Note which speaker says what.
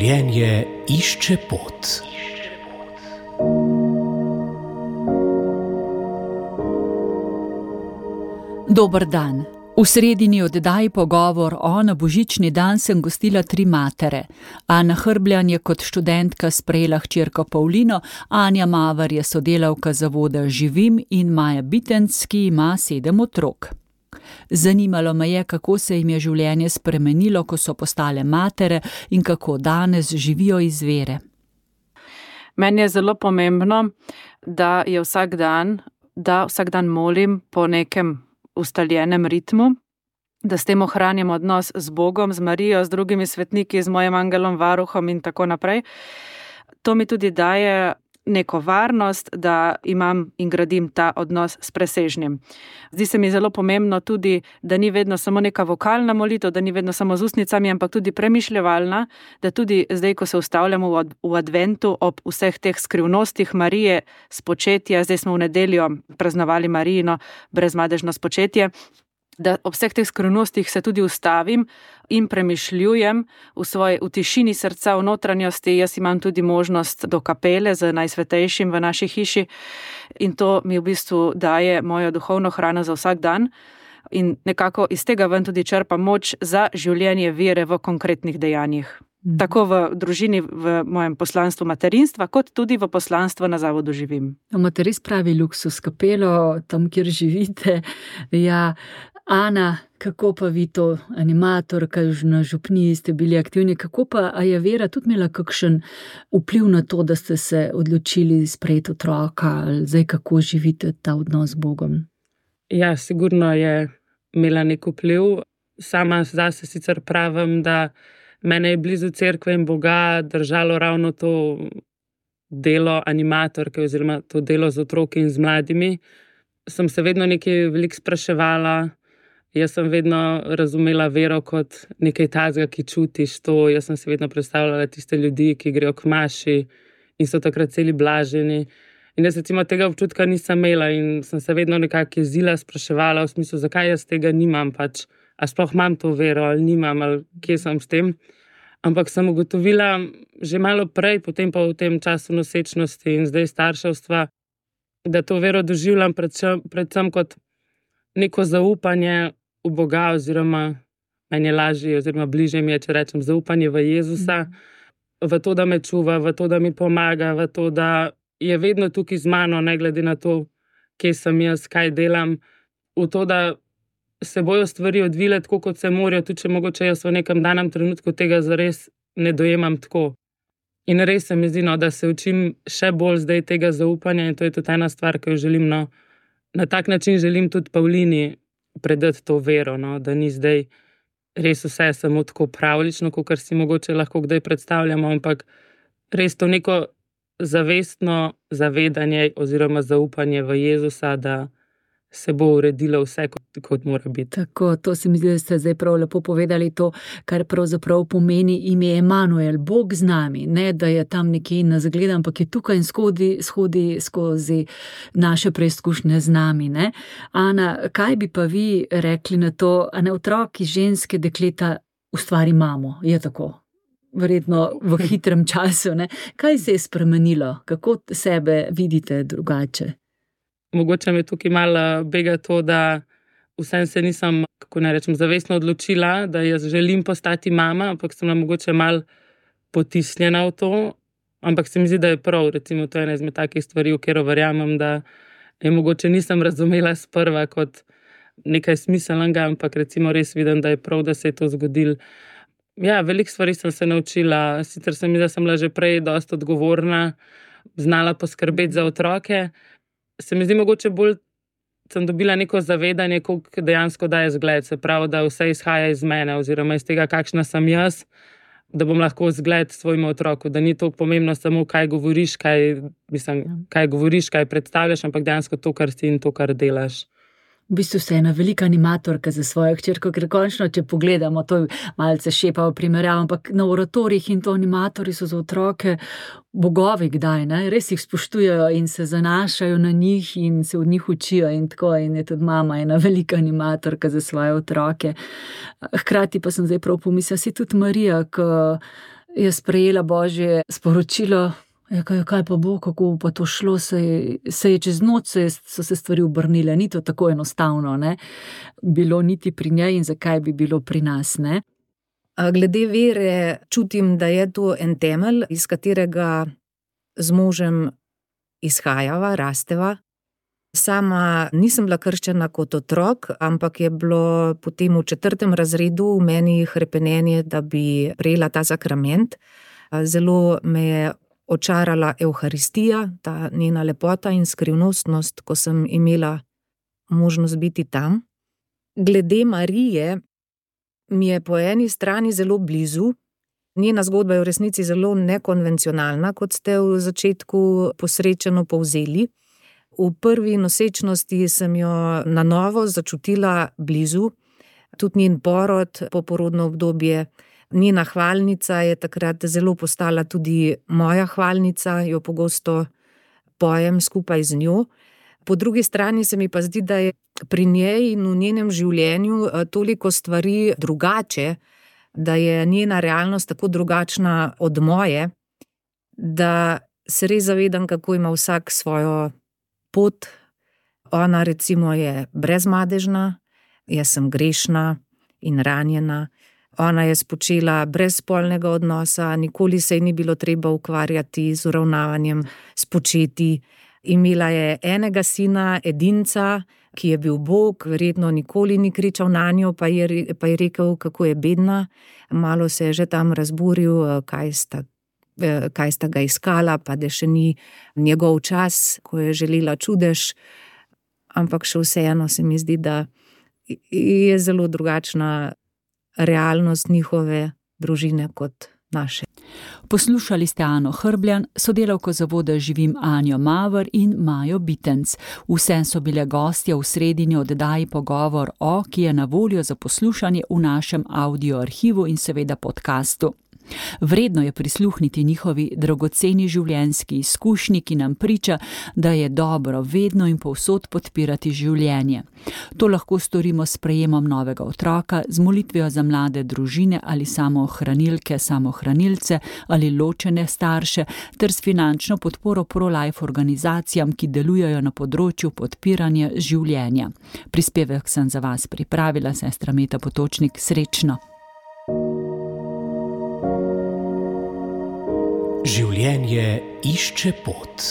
Speaker 1: Življenje išče pot.
Speaker 2: Dober dan. V sredini oddaji Pogovor na božični dan sem gostila 3 matere. Ana Hrbljan je kot študentka sprejela hčerko Pavlino, Anja Maver je sodelavka zavoda Živim in Maja Bitenc, ki ima 7 otrok. Zanimalo me je, kako se jim je življenje spremenilo, ko so postale matere in kako danes živijo iz vere.
Speaker 3: Meni je zelo pomembno, da vsak dan molim po nekem ustaljenem ritmu, da s tem ohranjam odnos z Bogom, z Marijo, z drugimi svetniki, z mojim angelom, varuhom in tako naprej. To mi tudi daje neko varnost, da imam in gradim ta odnos s presežnim. Zdi se mi zelo pomembno tudi, da ni vedno samo neka vokalna molitev, da ni vedno samo z ustnicami, ampak tudi premišljevalna, da tudi zdaj, ko se ustavljamo v adventu ob vseh teh skrivnostih Marije spočetja, zdaj smo v nedeljo praznovali Marijino brezmadežno spočetje, da ob vseh teh skrivnostih se tudi ustavim in premišljujem v tišini srca, v notranjosti. Jaz imam tudi možnost do kapele z najsvetejšim v naši hiši in to mi v bistvu daje mojo duhovno hrano za vsak dan in nekako iz tega ven tudi črpam moč za življenje vere v konkretnih dejanjih. Tako v družini, v mojem poslanstvu materinstva, kot tudi v poslanstvu na zavodu Živim.
Speaker 2: Imate res pravi luksus kapelo, tam, kjer živite. Ja, Ana, kako pa vi to, animatorka, na župniji ste bili aktivni, kako pa, a je vera tudi imela kakšen vpliv na to, da ste se odločili sprejeti otroka, ali zdaj kako živite ta odnos z Bogom?
Speaker 4: Ja, sigurno je imela nek vpliv. Sama zase sicer pravim, da mene je blizu cerkve in Boga držalo ravno to delo animatorke oziroma to delo z otroki in z mladimi. Sem se vedno nekaj veliko spraševala. Jaz sem vedno razumela vero kot nekaj tazga, ki čutiš to. Jaz sem se vedno predstavljala tiste ljudi, ki grejo k maši in so takrat celi blaženi. In jaz recimo tega občutka nisem imela in sem se vedno nekako jezila, spraševala v smislu, zakaj jaz tega nimam pač. A sploh imam to vero ali nimam, ali kje sem s tem. Ampak sem ugotovila že malo prej, potem pa v tem času nosečnosti in zdaj starševstva, da to vero doživljam predvsem kot neko zaupanje v Boga oziroma meni je lažje oziroma bližje mi je, če rečem, zaupanje v Jezusa, v to, da me čuva, v to, da mi pomaga, v to, da je vedno tukaj z mano, ne glede na to, kje sem jaz, kaj delam, v to, da se bojo stvari odvile tako, kot se morajo, tudi če mogoče jaz v nekem danem trenutku tega zares ne dojemam tako. In res se mi zdi, da se učim še bolj zdaj tega zaupanja in to je tudi ena stvar, ki jo želim, na tak način želim tudi Pavlini predati to vero, da ni zdaj res vse samo tako pravlično, kot si mogoče lahko kdaj predstavljamo, ampak res to neko zavestno zavedanje oziroma zaupanje v Jezusa, da se bo uredilo vse, kot mora biti.
Speaker 2: Tako, to se mi zdi, da ste zdaj prav lepo povedali to, kar pravzaprav pomeni ime Emanuel, Bog z nami, ne da je tam nekje nas gleda, ampak je tukaj in shodi skozi naše preizkušnje z nami, ne. Ana, kaj bi pa vi rekli na to, a ne otroki, ženske, dekleta ustvari mamo, je tako? Verjetno v hitrem času, ne. Kaj se je spremenilo? Kako sebe vidite drugače?
Speaker 4: Mogoče me tukaj malo bega to, da vsem se nisem, kako naj rečem, zavestno odločila, da jaz želim postati mama, ampak sem mogoče malo potisnjena v to. Ampak se mi zdi, da je prav, recimo to je ena izmed takih stvari, v katero verjamem, da je mogoče nisem razumela sprva kot nekaj smiselnega, ampak recimo res vidim, da je prav, da se je to zgodilo. Ja, veliko stvari sem se naučila, sicer se mi zdi, da sem bila že prej dosti odgovorna, znala poskrbeti za otroke. Se mi zdi mogoče bolj, sem dobila neko zavedanje, koliko dejansko daje zgled, se pravi, da vse izhaja iz mene oziroma iz tega, kakšna sem jaz, da bom lahko zgled svojemu otroku, da ni to pomembno samo, kaj govoriš, kaj predstavljaš, ampak dejansko to, kar si in to, kar delaš.
Speaker 2: V bistvu ste ena velika animatorka za svojo hčerko, ker končno, če pogledamo, to malce šepa v primerjav, ampak na oratorjih in to animatorji so za otroke bogovi kdaj, ne? Res jih spoštujejo in se zanašajo na njih in se od njih učijo in tako, in je tudi mama ena velika animatorka za svoje otroke. Hkrati pa sem zdaj prav pomislila, si tudi Marija, ki je sprejela Božje sporočilo. Kaj pa bo, kako pa to šlo, se je čez noč, so se stvari obrnile, ni to tako enostavno, ne? Bilo niti pri njej in zakaj bi bilo pri nas, ne?
Speaker 5: Glede vere čutim, da je to en temelj, iz katerega z možem izhajava, rasteva. Sama nisem bila krščena kot otrok, ampak je bilo potem v 4. razredu v meni hrepenenje, da bi prejela ta sakrament. Zelo me je očarala Evharistija, ta njena lepota in skrivnostnost, ko sem imela možnost biti tam. Glede Marije mi je po eni strani zelo blizu. Njena zgodba je v resnici zelo nekonvencionalna, kot ste v začetku posrečeno povzeli. V prvi nosečnosti sem jo na novo začutila blizu, tudi njen porod, poporodno obdobje. Njena hvalnica je takrat zelo postala tudi moja hvalnica, jo pogosto pojem skupaj z njo. Po drugi strani se mi pa zdi, da je pri njej in v njenem življenju toliko stvari drugače, da je njena realnost tako drugačna od moje, da se res zavedam, kako ima vsak svojo pot. Ona recimo je brezmadežna, jaz sem grešna in ranjena. Ona je spočela brez spolnega odnosa, nikoli se ji ni bilo treba ukvarjati z uravnavanjem spočeti. Imela je enega sina, edinca, ki je bil Bog, verjetno nikoli ni kričal nanjo, pa je rekel, kako je bedna. Malo se je že tam razburil, kaj sta ga iskala, pa da še ni njegov čas, ko je želela čudež. Ampak še vseeno se mi zdi, da je zelo drugačna realnost njihove družine kot naše.
Speaker 2: Poslušali ste Ano Hrbljan, sodelavko Zavoda Živim Anjo Maver in Majo Bitenc. Vse so bile gostje v sredini oddaji Pogovor o, ki je na voljo za poslušanje v našem audio arhivu in seveda podcastu. Vredno je prisluhniti njihovi dragoceni življenjski izkušnji, ki nam priča, da je dobro vedno in povsod podpirati življenje. To lahko storimo s sprejemom novega otroka, z molitvijo za mlade družine ali samohranilke, samohranilce ali ločene starše, ter s finančno podporo pro-life organizacijam, ki delujejo na področju podpiranja življenja. Prispevek sem za vas pripravila, sestra Meta Potočnik. Srečno!
Speaker 1: Življenje išče pot.